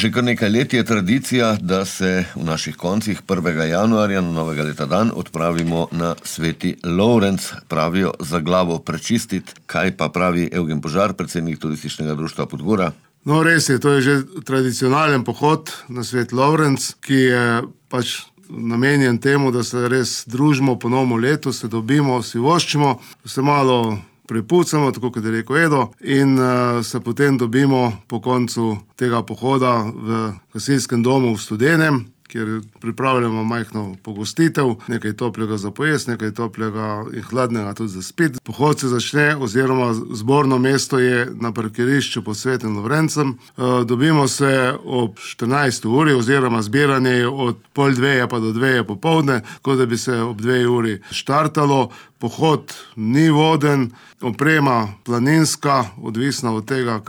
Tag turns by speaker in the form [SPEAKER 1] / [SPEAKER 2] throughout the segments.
[SPEAKER 1] Že kar nekaj let je tradicija, da se v naših koncih 1. januarja na novega leta dan odpravimo na Sveti Lovrenc, pravijo za glavo prečistiti. Kaj pa pravi Evgen Požar, predsednik Turističnega društva Podgora?
[SPEAKER 2] No, res je, to je že tradicionalen pohod na Sveti Lovrenc, ki je pač namenjen temu, da se res družimo po novem letu, se dobimo, si voščimo, se malo prepucamo, tako kot je rekel Edo, in se potem dobimo po koncu tega pohoda v gasilskem domu v Studenem, kjer pripravljamo majhno pogostitev, nekaj toplega za pojesti, nekaj toplega in hladnega tudi za spiti. Pohod se začne, oziroma zborno mesto je na parkirišču pod Svetim Lovrencem. Dobimo se ob 14. uri, oziroma zbiranje je od 12:30 pa do 2 popoldne, tako da bi se ob 2 uri štartalo. Pohod ni voden, oprema planinska, odvisna od tega,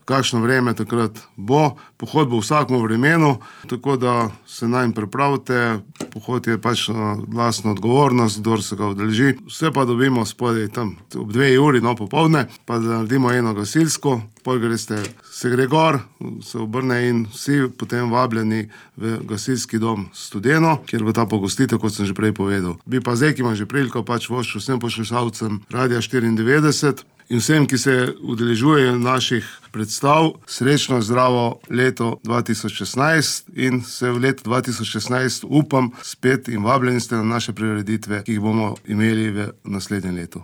[SPEAKER 2] kakšno vreme takrat bo. Pohod bo v vsakem vremenu, tako da se nanj pripravite. Pohod je pač na lastno odgovornost, kdor se ga udeleži. Vse pa dobimo spodaj tam ob 2 uri, popoldne, pa da naredimo eno gasilsko, pol greste, se gre gor, se obrne in vsi potem vabljeni v gasilski dom Studeno, kjer bo ta pogostitev, kot sem že prej povedal. Bi pa zdaj, ki imam že priliko, pač voščil vsem poslušalcem Radia 94 in vsem, ki se udeležujejo naših predstav, srečno zdravo leto 2016 in se v letu 2016 upam spet in vabljeni ste na naše prireditve, ki jih bomo imeli v naslednjem letu.